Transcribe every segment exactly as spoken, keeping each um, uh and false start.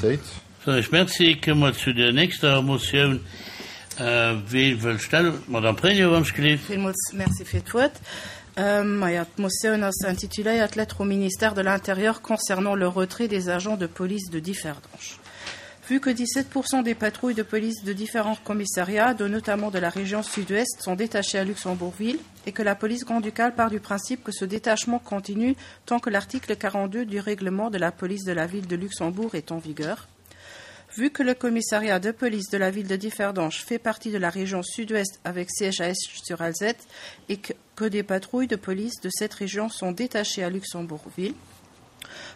Unanimitéit. Soen ech Merci. Komme mer zu der nächster Motioun. Wee wëll Stellung? D'Madame Pregno, wann ech gelift. Villmools Merci fir d'Wuert. Maja, d'Motioun ass intituléiert Lettre au ministère de l'Intérieur concernant le retrait des agents de police de Differdange. Vu que dix-sept pour cent des patrouilles de police de différents commissariats, dont notamment de la région sud-ouest, sont détachées à Luxembourg-Ville et que la police grand-ducale part du principe que ce détachement continue tant que l'article quarante-deux du règlement de la police de la ville de Luxembourg est en vigueur. Vu que le commissariat de police de la ville de Differdange fait partie de la région sud-ouest avec siège à Esch-sur-Alzette et que, que des patrouilles de police de cette région sont détachées à Luxembourg-Ville,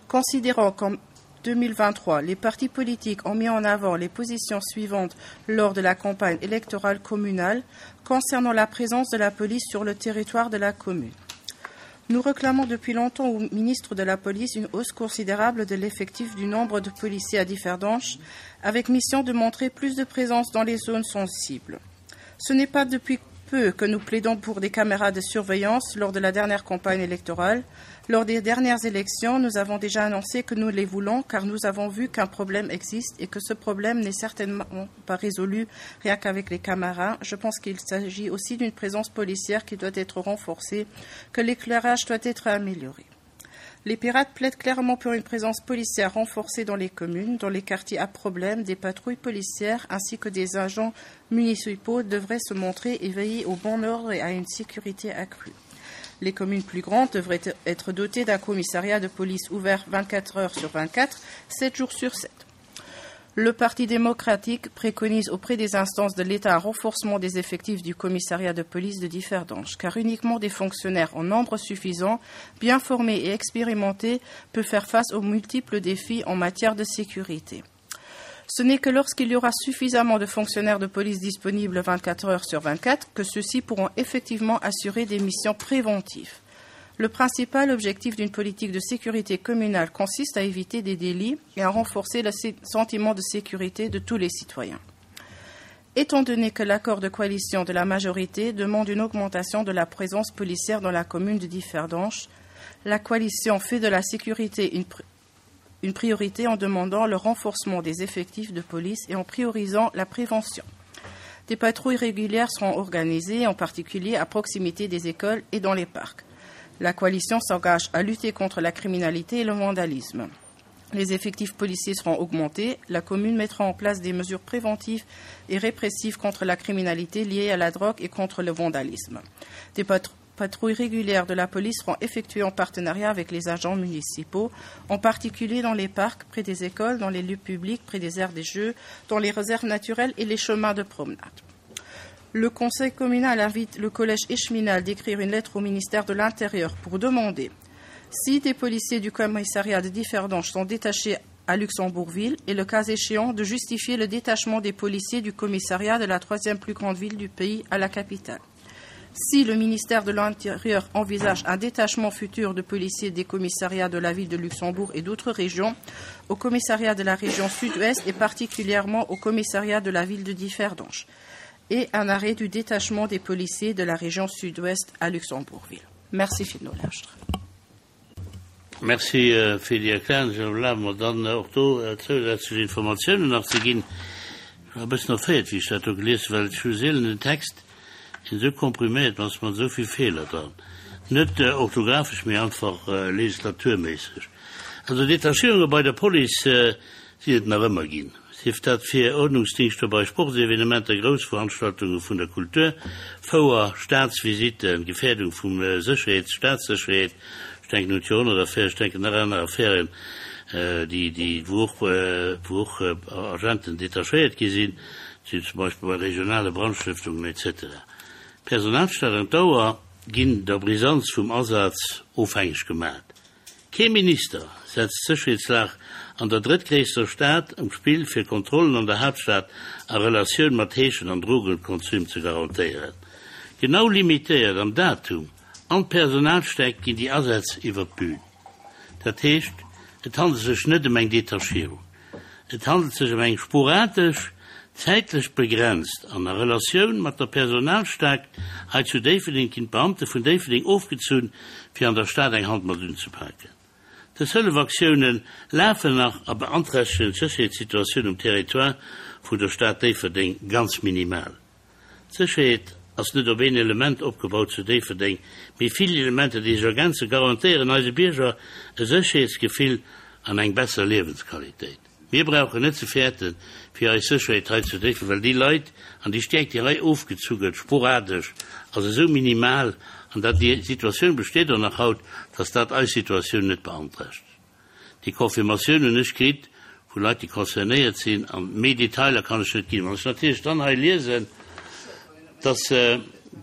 considérant qu'en deux mille vingt-trois, les partis politiques ont mis en avant les positions suivantes lors de la campagne électorale communale concernant la présence de la police sur le territoire de la commune. Nous réclamons depuis longtemps au ministre de la Police une hausse considérable de l'effectif du nombre de policiers à Differdange, avec mission de montrer plus de présence dans les zones sensibles. Ce n'est pas depuis peu que nous plaidons pour des caméras de surveillance lors de la dernière campagne électorale. Lors des dernières élections, nous avons déjà annoncé que nous les voulons car nous avons vu qu'un problème existe et que ce problème n'est certainement pas résolu rien qu'avec les caméras. Je pense qu'il s'agit aussi d'une présence policière qui doit être renforcée, que l'éclairage doit être amélioré. Les pirates plaident clairement pour une présence policière renforcée dans les communes, dans les quartiers à problème, des patrouilles policières ainsi que des agents municipaux devraient se montrer et veiller au bon ordre et à une sécurité accrue. Les communes plus grandes devraient être dotées d'un commissariat de police ouvert vingt-quatre heures sur vingt-quatre, sept jours sur sept. Le Parti démocratique préconise auprès des instances de l'État un renforcement des effectifs du commissariat de police de Differdange, car uniquement des fonctionnaires en nombre suffisant, bien formés et expérimentés, peuvent faire face aux multiples défis en matière de sécurité. Ce n'est que lorsqu'il y aura suffisamment de fonctionnaires de police disponibles vingt-quatre heures sur vingt-quatre que ceux-ci pourront effectivement assurer des missions préventives. Le principal objectif d'une politique de sécurité communale consiste à éviter des délits et à renforcer le sé-, sentiment de sécurité de tous les citoyens. Étant donné que l'accord de coalition de la majorité demande une augmentation de la présence policière dans la commune de Differdange, la coalition fait de la sécurité une pr-, une priorité en demandant le renforcement des effectifs de police et en priorisant la prévention. Des patrouilles régulières seront organisées, en particulier à proximité des écoles et dans les parcs. La coalition s'engage à lutter contre la criminalité et le vandalisme. Les effectifs policiers seront augmentés. La commune mettra en place des mesures préventives et répressives contre la criminalité liée à la drogue et contre le vandalisme. Des patr-, patrouilles régulières de la police seront effectuées en partenariat avec les agents municipaux, en particulier dans les parcs, près des écoles, dans les lieux publics, près des aires des jeux, dans les réserves naturelles et les chemins de promenade. Le Conseil communal invite le collège échevinal d'écrire une lettre au ministère de l'Intérieur pour demander si des policiers du commissariat de Differdange sont détachés à Luxembourg-Ville et, le cas échéant, de justifier le détachement des policiers du commissariat de la troisième plus grande ville du pays à la capitale. Si le ministère de l'Intérieur envisage un détachement futur de policiers des commissariats de la ville de Luxembourg et d'autres régions, au commissariat de la région sud-ouest et particulièrement au commissariat de la ville de Differdange, et un arrêt du détachement des policiers de la région sud-ouest à Luxembourg-Ville. Merci, Phil Nollastre. Merci, euh, fir déi Erklärung. Ech erlabe mer dann och do, äh, zusätzlich Informationen nach ze ginn. Ich war e bëssen erfreet, wéi ech dat do gelies, well ech hu seelen den Text in so komprimiert, was man so viel Fehler dran. Net, äh, orthographisch, mee einfach, äh, legislaturmäßig. Also Detachierunge bei der Police, äh, si et nach ëmmer ginn. Sief dat fir Ordnungsdienste bei Sportsevenementer, Großveranstaltungen vun der Kultur, Fouer, Staatsvisiten, Gefährdung vum, äh, Sicherheits-, Staatssicherheit, ich denke nun Jahrhundert-Affäre, ich denke nach anderen Affären, äh, die, die, wo auch, äh, wo auch, äh, Agenten detachéiert gi sinn, die zum Beispiel bei regionale Brandstiftungen et cetera. Personalstaat an Dauer ginn der Brisanz vum Asaz ofhängig gemacht. Kein Minister setzt Sicherheitslag an der drittgrößten Stadt am Spiel für Kontrollen an der Hauptstadt a Relation mat Heeschen an Drogenkonsum zu garantieren. Genau limitiert am Datum an Personalsteck ginn die Ersätze iwwer d'Bühn. Dat heescht, et handelt sich net um eng Detachierung. Et handelt sich um eng sporadisch, zeitlich begrenzt an der Relation mat der Personalstärke hei zu Déifferdeng ginn Beamte vun Déifferdeng ofgezunn, fir an der Stad eng Hand mat unzepacken. Dës Hëllefaktiounen lafen nach a beanträchtegen d'Sécherheetssituatioun um Territoire vun der Stad Déifferdeng ganz minimal. D'Sécherheet ass net op een Element opgebaut zu Déifferdeng, mee vill Elementer, déi sech ergänzen, garantéieren eise Bierger e Sécherheetsgefill an eng besser Liewensqualitéit. Mir brauchen net ze fäerten fir eis Sécherheet hei zu Déifferdeng, well déi Leit an déi Stäerkt, déi hei ofgezu gëtt, sporadesch, ass esou minimal an dat déi Situatioun besteet och nach haut, dass dat eis Situatioun net beanträchtegt. Déi Confirmatioun hunn ech kritt vu Leit, déi concernéiert sinn, an méi Detailer kann ech net ginn. Wann ech natierlech dann hei liesen, dass,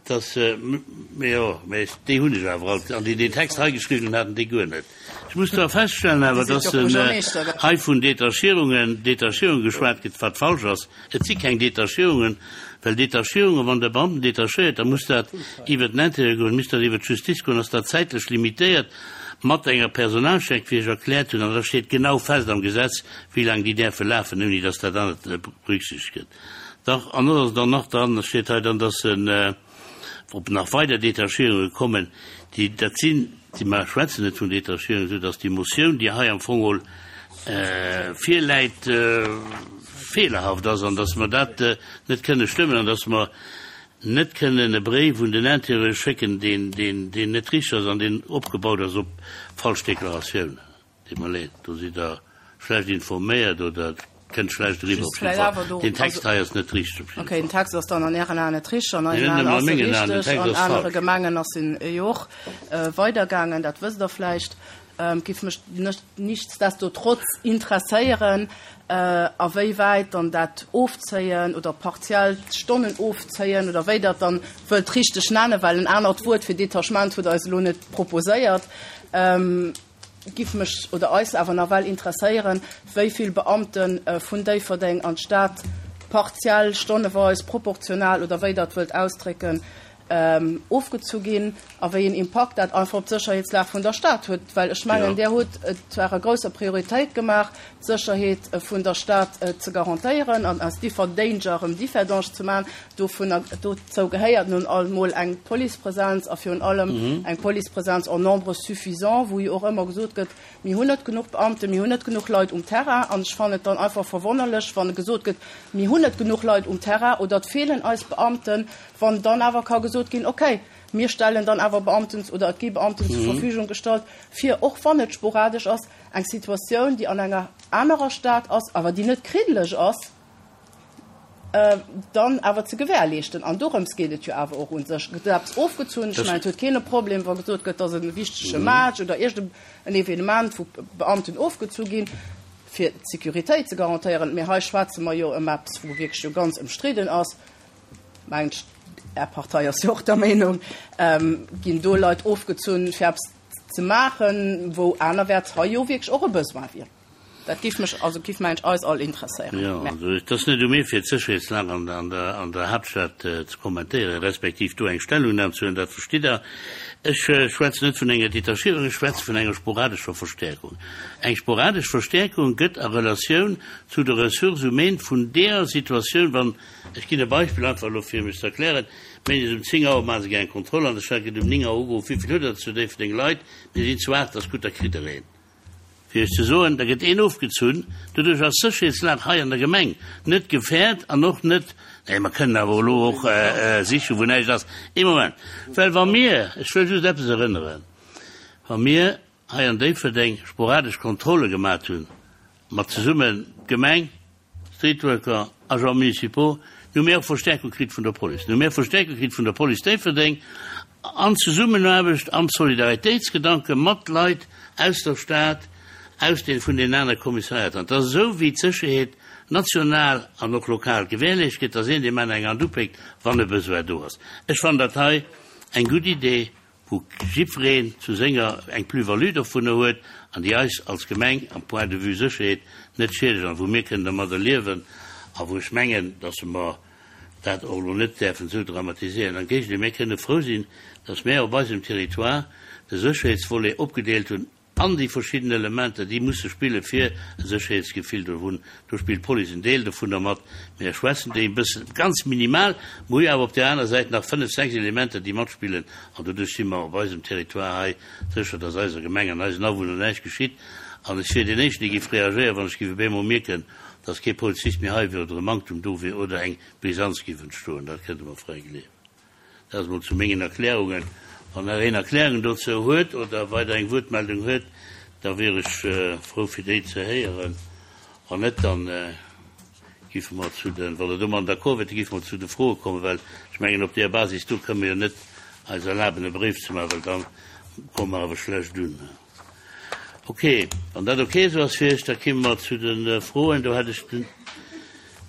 dass, jo, mä déi hunn ech awer alt, an déi deen Text hei geschriwwen hunn, haten déi guer net. Ech muss zwar feststellen awer, dass hei vun Detachierungen, Detachierungen geschwat gëtt, wat falsch ass. Et si keng Detachierungen, well Detachierungen, wann Der Beamten detachéiert, da muss dat iwwert den Intérieur goen, misst dat iwwert d'Justiz goen, ass dat zäitlech limitéiert mat enger Personalscheck, wéi ech erkläert hunn, an da steet genau fest am Gesetz, wéi laang déi däerfe lafen, ouni dass dat anert berücksichtegt gëtt. Dach, an dat ass dann nach dran, da steet hei dann, dass en, ob nach weider Detachierunge kommen, déi, dat sinn, déi, mer schwätzen net vun Detachierungen, esou dass déi Motioun, déi hei am Fong geholl virläit, feelerhaft ass an dass mer dat net kënne stëmmen an dass mer net kënnen e Bréif un den Intérieur schécken, deen, deen, deen net richteg ass an deen opgebaut ass op falsch Deklaratiounen. Deet mer leed, do sidd Der schlecht informéiert oder et kënnt schlecht eriwwer. Op jidde Fall, deen Text hei ass net richteg. Op jidde Fall. Okay, den Text ass dann an Ären Aen net richteg, an eisen Aen ass e richteg, an anere Gemengen ass en jo och weidergaangen, dat wësst Der vläicht. Giff mech nichtsdestotrotz interesséieren, a wéi wäit dann dat Ofzéien oder partiellt Stonnen ofzéien oder wéi Der et dann wëllt richteg nennen, well en anert Wuert fir Detachement hutt Der eis elo net proposéiert, giff mech oder eis awer nawell interesséieren, wéi vill Beamte vun Déifferdeng an d'Stad partiell, stonneweis, proportional oder wéi Der et wëllt ausdrécken, ofgezu ginn a wéi een Impakt dat einfach op d'Sécherheetslag vun der Stad huet. Well ech mengen, Dir hutt et zu Ärer grousser Prioritéit gemaach, d'Sécherheet vun der Stad ze garantéieren an aus Differdanger erëm Differdange ze maachen. Dovunner, dozou gehéiert nun emol eng Policepresenz a virun allem eng Policepresenz en nombre suffisant, wou jo och ëmmer gesot gëtt, Mir hunn net genuch Beamten, mir hunn net genuch Leit um Terrain. An ech fannen et dann einfach verwonnerlech, wann gesot gëtt, Mir hunn net genuch Leit um Terrain oder et feelen eis Beamten, wann dann awer ka gesot ginn, okay, mir stellen dann awer Beamten oder et gi Beamten zur Verfügung gestallt, fir, och wann et sporadesch ass, eng Situatioun, déi an enger anerer Stad ass, awer déi net kriddeleg ass, dann awer ze gewährleeschten. An dorëms geet et jo awer och u sech. Gëtt eppes ofgezunn, ech mengen, et huet keen e Problem, wa gesot gëtt, dass e wichtege Match oder iergend en Evenement, wou Beamten ofgezu ginn, fir d'Sécuritéit ze garantéieren. Mee hei schwätze mer jo ëm eppes, wou wierklech jo ganz ëmstridden ass, mengen ech, Är Partei ass jo och der Meenung, ginn do Leit ofgezunn, fir eppes ze maachen, wou anerwäerts hei jo wierklech och e Besoin wier. Dat géif mech, also géif mengen ech, eis all interesséieren. Jo, also et ass net u mir, fir d'Sécherheetslag an der, an der, an der Haaptstad ze kommentéieren, respektiv do eng Stellungnam ze huelen, dat verstitt Der. Ech schwätzen net vun enger Detachierung, ech schwätze vun enger sporadescher Verstärkung. Eng sporadesch Verstärkung gëtt a Relatioun zu de Ressources humaines vun deeër Situatioun, wann, ech ginn e Beispill einfach elo fir mech ze erklären, Méindes um zéng Auer maache se eng Kontroll an der Stad, gëtt um néng Auer ugeruff, Wéi vill hutt Der zu Déifferdeng Leit? Mir sinn zu aacht, ass gutt, da kritt Der een. Fir Iech ze soen, da gëtt een ofgezunn. Doduerch ass d'Sécherheetslag hei an der Gemeng net gefährt an och net, nee, mer kënnen awer elo och sichen, wou näischt ass. Ee Moment, well wa mir, ech wëll just eppes erënneren, wa mir hei an Déifferdeng sporadesch Kontrolle gemat hunn, mat zesummen d'Gemeng, Streetworker, Agents municipaux, nu hu mir och Verstärkung kritt vun der Police. Nu hu mir Verstärkung kritt vun der Police Déifferdeng an Zesummenaarbecht, am Solidaritéitsgedanke mat Leit aus der Stad, aus den, vun den aner Kommissariater. An et ass esou, wéi d'Sécherheet national an och lokal gewährleescht gëtt, dass een deem aneren eng Hand upéckt, wann e Besoin do ass. Ech fannen dat hei eng gutt Idee, wou jiddwereen zu senger eng Plus-value dovunner huet an déi eis als Gemeng am Point de vue Sécherheet net schiedeg an wou mir kënnen dermadder liewen a wou ech mengen, dass mer dat och elo net däerfen esou dramatiséieren. Am Géigendeel, mir kënne frou sinn, dass mär op eisem Territoire de Sécherheetsvolet opgedeelt hunn An déi verschidden Elementer, déi musse spille fir e Sécherheetsgefill do hunn. Do spillt d'Police en Deel dovunner mat, mee ech schwätzen déi e bëssen, ganz minimal. Mer hu jo awer op där aner Säit nach fënnef, sechs Elementer, déi matspillen, an doduerch si mer op eisem Territoire hei sécher, dass eiser Gemeng an eisen Awunner näischt geschitt. An ech wier deen Éischten, dee géif reagéieren, wann ech géif op eemol mierken, dass kee Polizist méi hei wier oder e Manktum do wier oder eng Brisanz géif entstoen. Dat kënnt Der mer fräi gleewen. Dat ass emol zu mengen Erklärungen. Wann nach een Erklärungen dozou huet oder weider eng Wuertmeldung huet, da wier ech frou fir déi ze héieren. Wann net, da géife mer zu den, wann Der domadden d'accord wiert, da géife mer zu de Froe kommen, well ech mengen, op där Basis do kënnen mer jo net eis erlaben e Bréif ze maachen, well da komme mer awer schlecht un. Ok, wann dat ok esou ass fir Iech, da kéime mer zu de Froen. Do hätt ech den,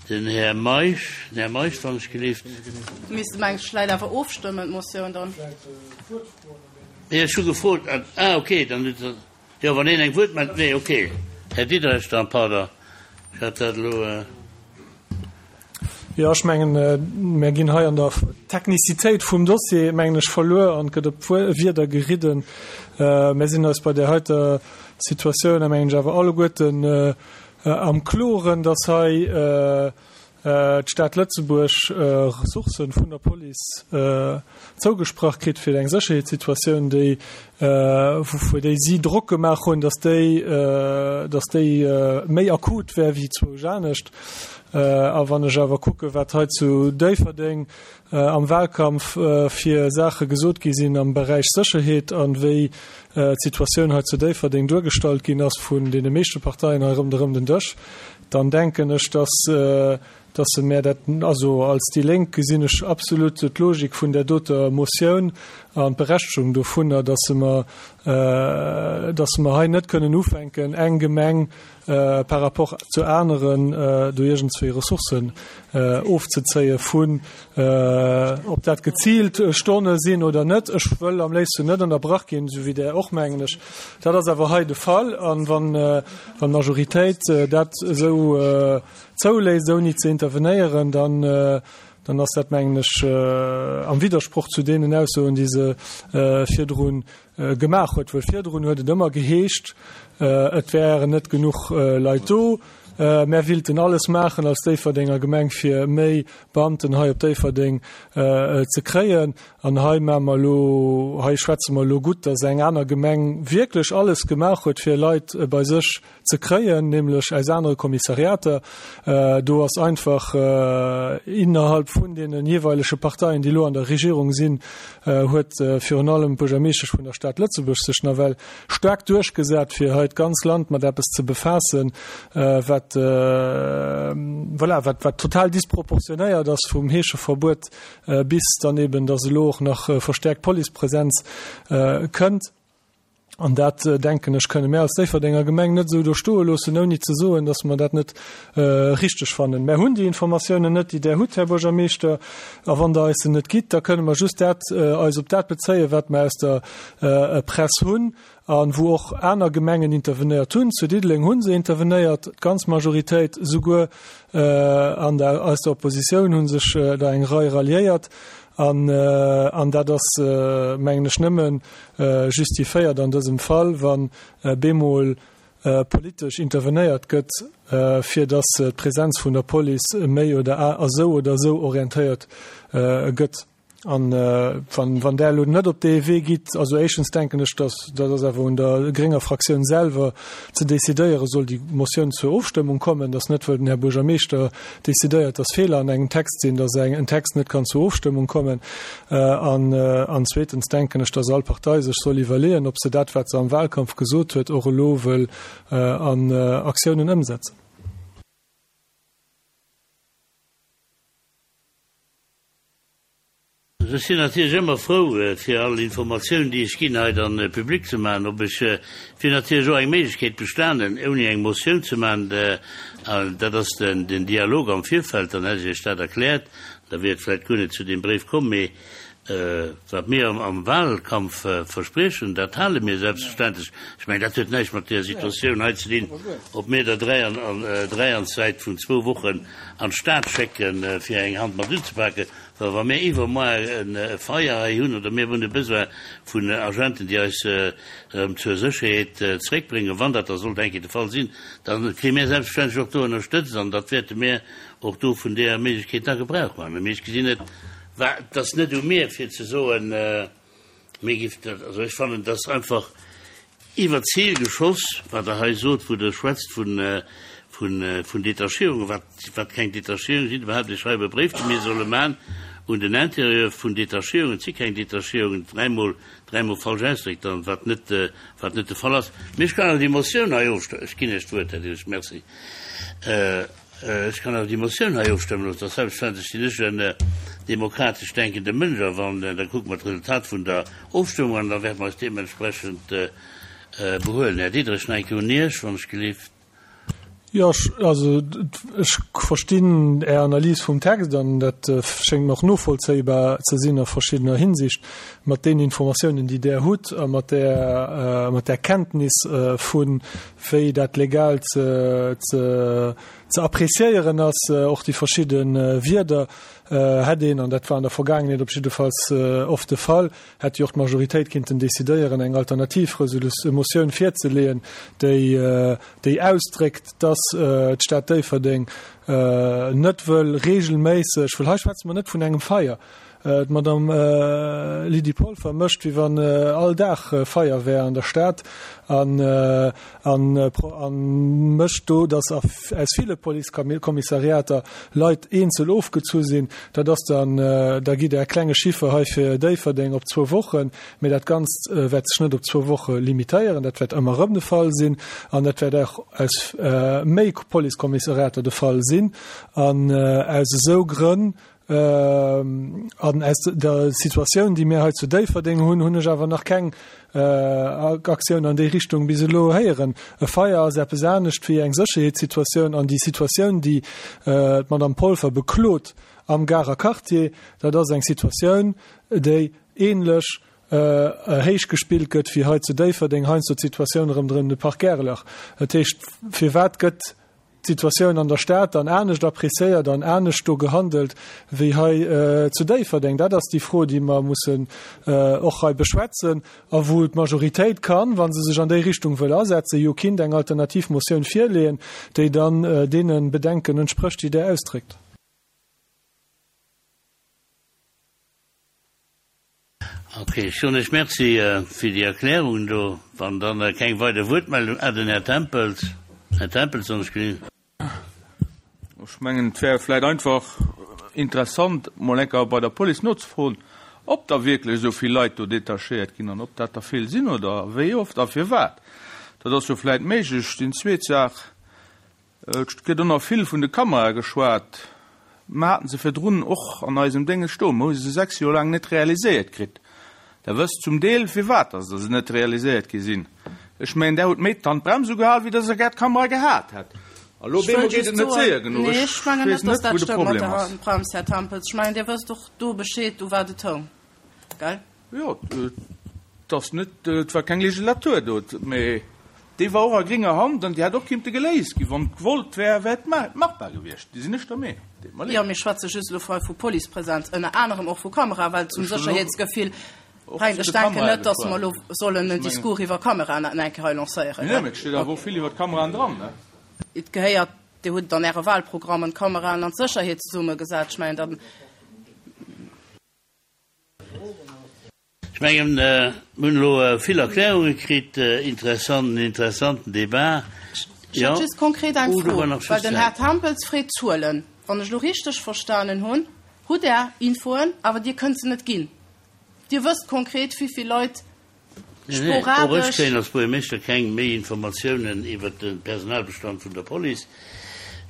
den Här Meisch. Den Här Meisch, wann ech gelift. Misste mer eng vläicht awer ofstëmmen, d'Motioun dann? Nee, ech hu gefrot. Ah, ok, dann hutt Der, jo, wann een eng Wuertmeldung, nee, ok. Här Diderich dann, pardon, ech hat dat elo. Jo, ech mengen, mär ginn hei an der Technicitéit vum Dossier, mengen ech, verluer an et gëtt op Wierder geridden. Mär sinn eis bei där heiter Situatioun, mengen ech, awer alleguerten am Kloren, dass hei d'Stad Lëtzebuerg Ressourcë vun der Police zougesprach kritt fir eng Sécherheetssituatioun, déi, vu déi si Drock gemaach hunn, dass déi, dass déi méi akut wär wéi zwousch anescht. A wann ech awer kucke wat hei zu Déifferdeng am Wahlkampf fir Saache gesot gi sinn am Beräich Sécherheet an wéi d'Situatioun hei zu Déifferdeng duergestallt ginn ass vun deene meeschte Parteien hei ronderëm den Dësch, dann denken ech, dass dass se mär dat, also als déi Lénk gesinn ech absolut d'Logik vun där doter Motioun an d'Berechtegung dovunner, dass se mer, dass mer hei net kënnen ufänken, eng Gemeng par rapport zu aneren do iergendzwéi Ressourcen ofzezéie vun, ob dat geziilt Stonne sinn oder net. Ech wëll am léifsten net ënnerbrach ginn, esou wéi Der och, mengen ech. Dat ass awer hei de Fall. An wann d'Majoritéit dat esou zouléisst, ouni ze intervenéieren, dann, dann ass dat, mengen ech, am Widdersproch zu deenen Aussoen, déi se virdru gemaach huet. Well virdrun huet et ëmmer geheescht, et wären net genuch Leit do, mär willten alles maachen als Déifferdenger Gemeng, fir méi Beamten hei op Déifferdeng ze kréien. An hei maache mer elo, hei schwätze mer elo gutt, datt eng aner Gemeng wierklech alles gemaach huet, fir Leit bei sech ze kréien, nämlech aus anere Kommissariater. Do ass einfach innerhalb vun deene jeeweilege Parteien, déi elo an der Regierung sinn, huet virun allem d'Buergermeeschtesch vun der Stad Lëtzebuerg sech nawell staark duerchgesat, fir hei d'ganz Land mat eppes ze befaassen, wat, voilà, wat, wat total disproportionéiert ass vum Heescheverbuet bis dann eben, dass elo och nach verstäerkt Policepresenz kënnt. An dat, denken ech, kënne mär als Déifferdenger Gemeng net esou do stoe loossen, ouni ze soen, dass mer dat net richteg fannen. Mär hunn déi Informatiounen net, déi Der hutt, Här Buergermeeschter. A wann Der eis se net gitt, da kënne mer just dat, eis op dat bezéien, wat mer aus der Press hunn a wou och aner Gemengen intervenéiert hunn. Zu Diddeleng hu se intervenéiert, d'ganz Majoritéit, souguer an der, aus der Oppositioun hu sech der eng Rei ralliéiert. An, an dat ass, mengen ech, nëmme justifiéiert an dësem Fall, wann bemol politesch intervenéiert gëtt, fir datt d'Präsenz vun der Police méi oder esou oder esou orientéiert gëtt. An wann, wann Der elo net op dee Wee gitt, also éischtens denken ech, datt dat ass awer un der grénger Fraktioun selwer ze decidéieren, soll déi Motioun zur Ofstëmmung kommen, datt net wëll den Här Buergermeeschter decidéiert, datt Feeler an engem Text sinn, datt en Text net kann zur Ofstëmmung kommen. An, an zweetens denken ech, datt all Partei sech soll iwwerleeën, ob se dat, wat se am Wahlkampf gesot huet, och elo wëll an Aktiounen ëmsetzen. Ech sinn natierlech ëmmer frou, fir all Informatioun, déi ech ginn, hei dann public ze maachen. Ob ech wier natierlech och eng Méiglechkeet bestanen, ouni eng Motioun ze maachen, dat ass den Dialog am Virfeld, dann hätt ech Iech dat erkläert, da wier et vläicht guer net zu deem Bréif komm. Mee Wat mir am Wahlkampf verspriechen, dat hale mir selbstverständlech. Ech mengen, dat huet näischt mat där Situatioun hei ze dinn, ob mir der dräi an dräi an Zäit vun zwou Wochen an d'Stad schécken, fir eng Hand mat unzepaken. Well wa mir iwwermoar e Feier hei hunn oder mir hunn e Besoin vun Agenten, déi eis erëm zur Sécherheet zeréckbréngen, wann dat da sollt eng Kéier de Fall sinn, da kréie mir selbstverständlech och do ënnerstëtzt an dat wäerte mir och do vun där Méiglechkeet da Gebrauch maachen. Mee ech gesinn net, Wa, et ass net u mir fir ze soen, mir giff dat, also ech fannen, et ass einfach iwwer d'Zil geschoss, wat Der hei sot, wou Der schwätzt vun, vun, vun Detachierungen, wat, wat keng Detachierungen sinn, iwwerhaupt, Ech schreiwe e Bréif, dee mir solle man un den Intérieur vun Detachierungen, et si keng Detachierungen, dräimol, dräimol falsch ausdréckt dann, wat net, wat net de Fall ass. Mee ech kann awer déi Motioun hei ofstëmmen. Ech ginn Iech d'Wuert, Här Diderich, merci. Ech kann awer déi Motioun hei ofstëmmen loossen. Dat ass selbstverständlech sinn ech en demokratesch denkende Mënsch a wann, da kucke mer d'Resultat vun der Ofstëmmung an da wäerte mer eis deementsprechend behuelen. Här Diderich, nach eng Kéier un Iech, wann ech gelift. Jo, ech, also ech verstinn Är Analys vum Text an dat schéngt mer och novollzéibar ze sinn a verschiddener Hinsicht mat deenen Informatiounen, déi Der hutt a mat där, mat där Kenntnis vu wéi dat legal ze, ze, ze appréciéieren ass, och déi verschidde Wierder, hätt een, an dat war an der Vergaangenheet op jiddefalls oft de Fall, hätt jo och d'Majoritéit kinnten décidéieren, eng alternativ Motioun virzeleeën, déi, déi ausdréckt, dass d'Stad Déifferdeng net wëll regelméisseg, well hei schwätze mer net vun engem Feier, D'Madame Lydie Polfer mécht, wéi wann all Dag Feier wär an der Stad an mécht do, datt aus ville Policekommissariater Leit eenzel ofgezu sinn. Dat ass dann, da gitt Der e klenge Chiffer hei fir Déifferdeng op zwou Wochen, mee dat Ganzt wäert sech net op zwou Woche limitéieren. Dat wäert ëmmer erëm de Fall sinn an dat wäert och aus méi Policekommissariater de Fall sinn. An aus esou Grënn, An aus der Situatioun, déi mir hei zu Déifferdeng hunn, hunn ech awer nach keng Aktioun an déi Richtung bis elo héieren. E Feier ass eppes anescht wéi eng Sécherheetssituatioun. An déi Situatioun, déi d'Madame Polfer beklot am Garer Quartier, dat ass eng Situatioun, déi ähnlech héich gespillt gëtt wéi hei zu Déifferdeng heiansdo d'Situatioun ronderëm de Parc Aerlach. Dat heescht, firwat gëtt d'Situatioun an der Stad dann anescht appréciéiert an anescht do gehandelt wéi hei zu Déifferdeng? Dat ass déi Fro, déi mer mussen och hei beschwätzen a wou d'Majoritéit kann, wa se sech an déi Richtung wëll asetzen, jo kinnt eng alternativ Motioun virleeën, déi dann deene Bedenken entsprécht, déi Der ausdréckt. Ok, ech soen lech Merci fir déi Erklärungen do. Wann dann keng weider Wuertmeldung, ah, den Här Tempels. Här Tempels, soen ech gelift. Ech mengen, et wär vläicht einfach interessant, mol eng Kéier bei der Police nozefroen, ob da wierklech esou vill Leit do detachéiert ginn an ob dat der vill sinn oder wéi oft a firwat. Dat ass jo vläicht méiglech. Déi zweet Saach, Et gëtt och nach vill vun de Kamerae geschwat. Mer haten se virdrun och an eisem Dénges stoen, mer hu se sechs Joer laang net realiséiert kritt. Der wësst zum Deel, firwat dass se net realiséiert gi sinn. Ech mengen, Der hutt méi d'Handbrems ugehal, wéi dass Der gär d'Kamera gehat hätt. A lo Ech wëll bemol geet just et net soen, séier genuch. nee, Ech ech mengen weess net, dass net, dat wou de stëmmt mat Problem der ass. Handbrems, Här Tempels. Ech mengen, Dir wësst och do Bescheed, u wat et houng, gell? Jo, et ass net, et war keng Legislatur do, mee déi war och a grénger Hand an déi hätt och kinnte geléist ginn. Wann gewollt wär, wär et machbar gewiescht. Déi sinn ech der Meenung. Deet mer leed. Jo, mir schwätze just elo hei vu Policepresenz, ënner anerem och vu Kameraen, well zum Ech hunn elo Sécherheetsgefill och brengt. zu Ech de denken Kamerae net, dass mer geschwat. elo sollen Ech en mengen. Discours iwwer Kameraen nach eng Kéier hei lancéieren, Nee, gell? mee et steet awer och vill iwwer d'Kameraen dran, ne? Et gehéiert, Dir hutt et an Äre Wahlprogrammen, d'Kameraen an d'Sécherheet zesummegesat. Ech mengen, dann. Ech mengen, mir hunn elo vill Erklärunge kritt, interessant, en interessanten Debat. Ech hätt Jo, just konkret eng oh, do Fro, war nach well just den Här Zäit. Tempels freet Zuelen. Wann ech elo richteg verstanen hunn, hutt Der Infoen, awer Dir kënnt se net ginn. Dir wësst konkret, wéi vill Leit Nee, nee, och ech sporadesch. kréien als Buergermeeschter keng méi Informatiounen iwwert de Personalbestand vun der Police.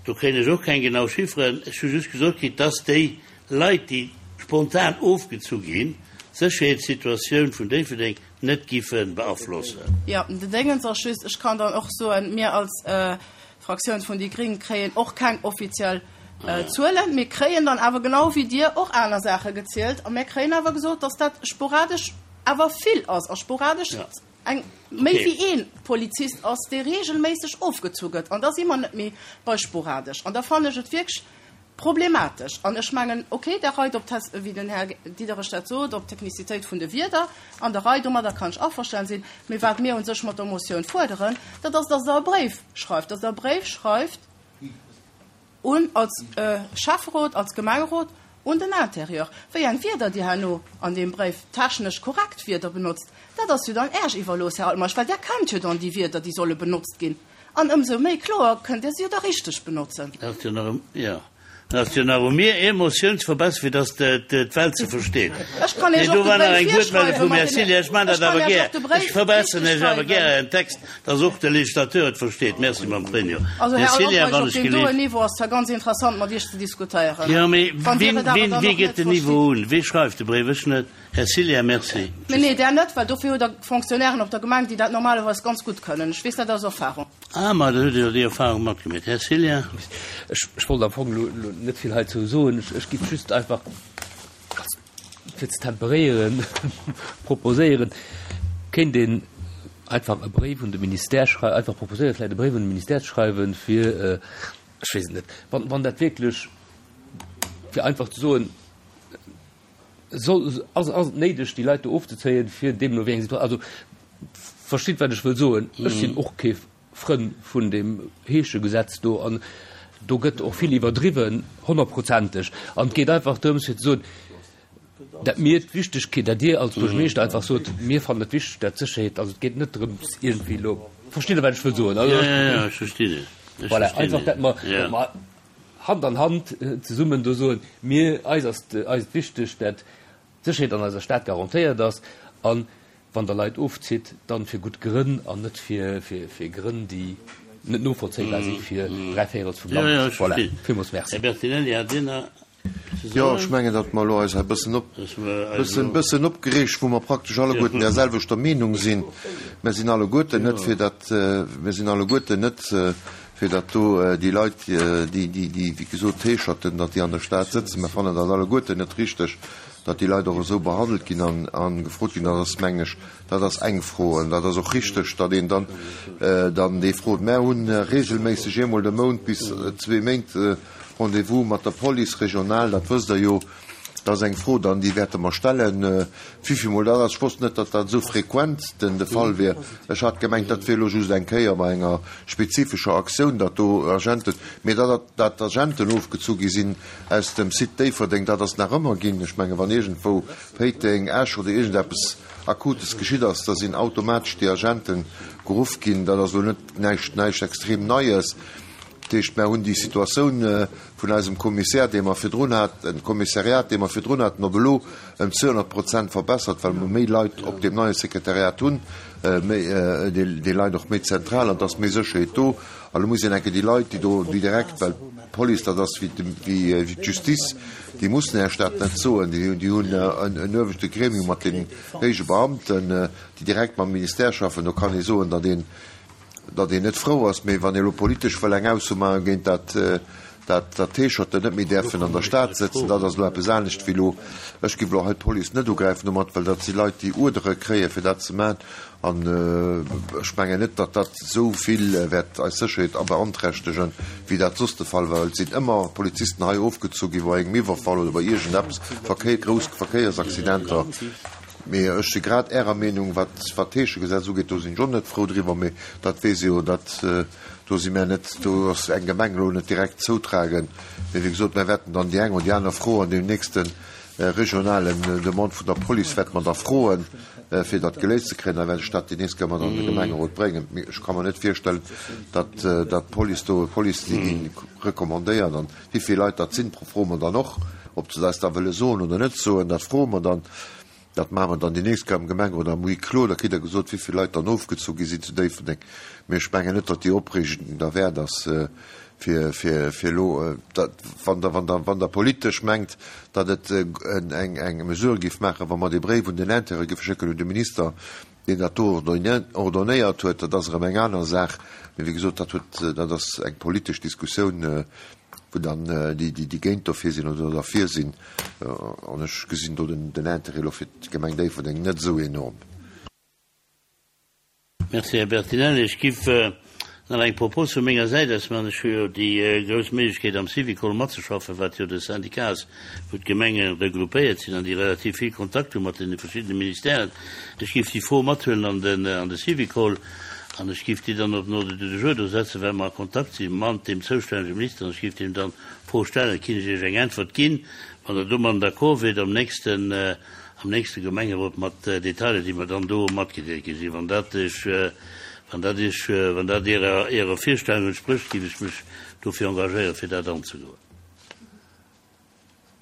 Do kréien ech och keng genau Chifferen. Ech hu just gesot kritt, dass déi Leit, déi spontan ofgezu ginn, d'Sécherheetssituatioun vun Déifferdeng net giffe beaflossen. Jo, den Déngens ass just, ech kann dann och soen, mir als Fraktioun vun déi Gréng kréien och keng offiziell Zuelen. Mir kréien dann awer genau wéi Dir och aner Saache gezielt a mir kréien awer gesot, dass dat sporadesch awer vill ass a sporadesch eng méi wéi ee Polizist ass, dee regelméisseg ofgezu gëtt. An da si mer net méi bei sporadesch. An da fannen ech et wierklech problematesch. An ech mengen, okay, der Rei op d'Tes, wéi den Här Diderich dat sot, op d'Technicitéit vun de Wierder an der Rei, domadder kann ech averstanen sinn. Mee wat mir u sech mat der Motioun fuerderen, dat ass, dass Der e Bréif schreift, dass Der e Bréif schreift un als Schäfferot, als Gemengerot, un den Intérieur. Wéi eng Wierder Dir herno an deem Bréif, technesch korrekt Wierder benotzt, dat ass jo dann Äech iwwerlooss, Här Altmeisch, well Der kennt jo dann déi Wierder, déi solle benotzt ginn. An ëmsou méi kloer kënnt Dir se jo da richteg benotzen. Dat ass jo nach, jo. Dat ass jo nach u mir, ee Motioun ze verbessern, fir dass d'Welt se versteet. Ech kann Iech Nee, do och de war nach Bréif eng Wuertmeldung virschreiwen vum mat Här deene, Cillien. Ech maachen ech dat kann awer Iech gär. och de Ech Bréif verbessern richteg Iech awer gär schreiwen. en Text, dass och de Legislateur et versteet. Merci, Mme Pregno. Also, Här Här Cillien, Altmeisch, wann op ech deem doen geleeft. Niveau ass zwar ganz interessant, mat Iech ze diskutéieren. Jo, mee Wann Dir wien, et awer wien, dann wie och gëtt net den Niveau verstitt. un? Wie schreift de Bréif? Ech net. Här Cillien, merci. Mee nee, där net, well dofir hutt Der Fonctionnairen op der Gemeng, déi dat normalerweis ganz gutt kënnen. Ech weess dat aus Erfahrung. Ah, ma da hutt Dir jo déi Erfahrung matgemeet. Här Cillien. Ech, ech wollt am Fong elo, elo net vill heizou soen. Ech, ech géif just einfach, ganz fir ze temperéieren, proposéieren, kéint een einfach e Bréif un de Ministère schrei-, einfach proposéieren, vläicht e Bréif un de Ministère ze schreiwen, fir, ech weess et net, wann, wann dat wierklech, fir einfach ze soen, soll, ass, ass et néideg, déi Leit do ofzezéien, fir deemno wéi eng Situa-, also, verstitt, wat ech wëll soen. Ech sinn och kee Frënn vun deem Heeschegesetz do an do gëtt och vill iwwerdriwwen, honnertprozenteg. An et geet einfach drëms, fir ze soen, dat mir d'Wichtegkeet, dat Dir als Buergermeeschter einfach sot, mir fannen et wichteg, dat d'Sécherheet, also et geet net drëms iergendwéi elo, verstitt Der, wat ech wëll soen? Also, Ja, ja, ja, ech verstinn et. Ech voilà, verstinn einfach, et. dat mer, Ja. dat mer Hand an Hand zesummen do soen, mir, eis ass, eis et wichteg, dat d'Sécherheet an eiser Stad garantéiert ass an wann Der Leit ofzitt, dann fir gutt Grënn an net fir, fir, fir Grënn, déi net novollzéibar si fir dräi Véirels vum Ja, Land. ja, ech Voilà. verstinn. Villmools merci. Här Bertinelli, hat Dir nach ze Jo, soen? ech mengen, datt mer elo eis e bëssen op, Dass mer eis bëssen, elo- bëssen opgereegt, wou mer praktesch alleguerten der selwechter Meenung sinn. Mer sinn alleguerten net fir dat, mer sinn alleguerten net fir dat do déi Leit, déi, déi, déi, wéi gesot, Heescherten, datt déi an der Stad sëtzen. Mer fannen dat alleguerten net richteg, datt déi Leit och esou behandelt ginn an, an gefrot ginn. Dat ass, mengen ech, dat ass eng Fro. An dat ass och richteg, datt een dann, dann déi frot. Mer hunn regelméisseg eemol de Mount bis zwee Méint Rendez-vous mat der Police régionale, dat wësst Der jo. Dat ass eng Fro dann, déi wäerte mer stellen, wéivillmol dat ass. Ech wosst net, datt dat esou frequent den de Fall wier. Ech hat gemengt, dat wier elo just eng Kéier bei enger spezifescher Aktioun, datt do Agenten, mee datt dat Agenten ofgezu gi sinn aus dem Site Déifferdeng, dat ass nach ëmmer ginn. Ech menge wann iergendwou Péiteng, Esch oder iergendeppes Akutes geschitt ass, da sinn automatesch déi Agenten geruff ginn. Dat ass elo net näischt, näischt extrem Neies. Dat heescht, mer hunn déi Situatioun vun eisem Kommissär, dee mer virdrun haten, Kommissariat, dee mer virdrun haten, op elo ëm zweehonnert Prozent verbessert, well mer méi Leit op deem neie Sekretariat hunn, méi, déi, déi Leit och méi zentral an dass méi Sécherheet do. A lo muss een enke déi Leit, déi do, déi direkt, well d'Police, dat ass wéi de, wéi, wéi d'Justice, déi mussen Iech dat net soen, déi, déi hunn en, en uewechte Gremium mat den héije Beamten, déi direkt mam Ministère schaffen. Do kann ee soen, datt een, datt een net frou ass, mee wann ee lo politesch wëll eng Ausso maache géint dat, dat, dat Heescherten net méi däerfen an der Stad sëtzen, dat ass lo eppes anescht wéi lo. Ech géif lo hei d'Police net ugräifen domat, well dat si Leit, déi Uerdere kréie fir dat ze maachen. An ech mengen net, datt dat esou vill wäert eis Sécherheet a beanträchtegen, wéi dat soss de Fall war. Et sinn ëmmer Polizisten hei ofgezu gi bei engem Iwwerfall oder bei iergendeppes, Verkéier, grouss Verkéiersaccidenter. Mee ech si grad Ärer Meenung, wat, wat d'Heeschegesetz ugeet, do sinn ech och net frou driwwer, mee dat weess ee jo, dat, do si mär net, do ass eng Gemeng elo net direkt zoutragen. Mee wéi gesot, mär wäerten dann déi eng oder déi aner Fro an deem nächste regionalen Demande vun der Police wäerte mer da froen, fir dat geléist ze kréien. Da wäert ech dat déi nächst Kéier mat an de Gemengerot bréngen. Mee ech ka mer net virstellen, datt, datt d'Police do, d'Police déi gi recommandéiert an wéi vill Leit dat sinn, froe mer dann och, ob se eis da wëlle soen oder net soen, dat froe mer dann. Dat maache mer dann déi nächst Kéier am Gemengerot am Huis clos, da kritt Der gesot, wéi vill Leit dann ofgezu gi sinn zu Déifferdeng. Mee ech mengen net, datt déi Opreegung derwäert ass, fir, fir, fir elo, dat, wann Der, wann Der, wann Der politesch mengt, datt et eng, eng Mesure géif maachen, wa mer dee Bréif un den Intérieur géife schécken, un de Minister, deen dat do ordonnéiert huet, dat ass erëm eng aner Saach. Mee wéi gesot, dat huet, dat ass eng politesch Diskussioun, wou dann déi, déi géint dofir sinn oder derfir sinn. An ech gesinn do den Intérêt elo fir d'Gemeng Déifferdeng net esou enorm. Merci, Här Bertinelli. Ech giff nach eng Propos vu menger Säit aus maachen. Ech hu jo déi grouss Méiglechkeet, am Syvicol matzeschaffen, wat jo de Syndicat ass, wou d'Gemenge regroupéiert sinn an déi relativ vill Kontakt hu mat deene verschiddene Ministèren. Ech giff déi Fro mathuelen an den, an de Syvicol an ech giff déi dann op den Ordre du jour do setzen, well mer a Kontakt si mat deem zoustännege Minister an ech giff deem dann d'Fro stellen. Kinnt ech Iech eng Äntwert ginn, wann Der domadden d'accord wiert, am nächsten, am nächste Gemengerot mat Detailer, déi mer dann do matgedeelt gi sinn. Wann dat Iech, wann dat Iech, wann dat Ärer, Ärer Virstellung entsprécht, giff ech mech dofir engagéieren, fir dat anzegoen.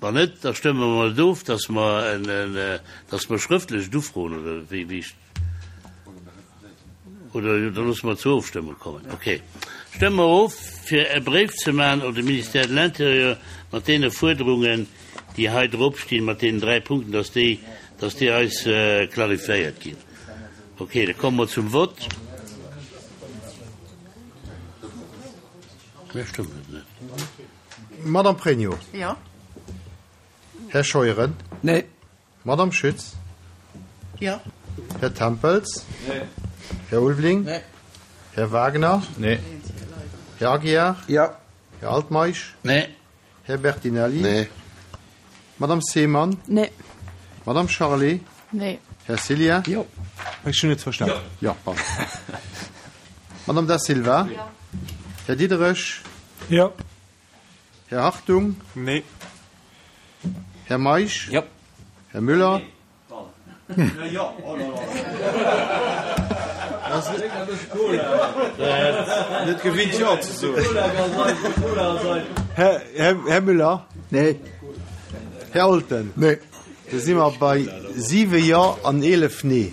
Wann net, da stëmme mer et of, dass mer en, dass mer schrëftlech et ufroen, oder wéi, wéi ech, oder da loosse mer et zur Ofstëmmung kommen. Okay. Stëmme mer of, fir e Bréif ze maachen un de Ministère de l'Intérieur mat deene Fuerderungen, déi hei drop stinn, mat deenen dräi Punkten, dass déi, dass déi eis clarifiéiert ginn. Okay, da komme mer zum Vott. Mir stëmmen et net. Madame Pregno. Jo. Här Scheuren. Nee. Madame Schütz. Jo. Här Tempels. Nee. Här Ulveling. Nee. Här Wagner. Nee. Här Aguiar. Jo. Här Altmeisch. Nee. Här Bertinelli. Nee. Madame Seemann. Nee. Madame Charlé. Nee. Här Cillien. Jo. Ech hunn net verstanen. Jo. Jo, Madame Da Silva. Jo. Här Diderich. Jo. Här Hartung. Nee. Här Meisch. Jo. Här Müller. Net gewinnt Jo ze soen. Här Müller. Nee. Här Olten. Nee. Da si mer bei siwe Jo an eelef Nee.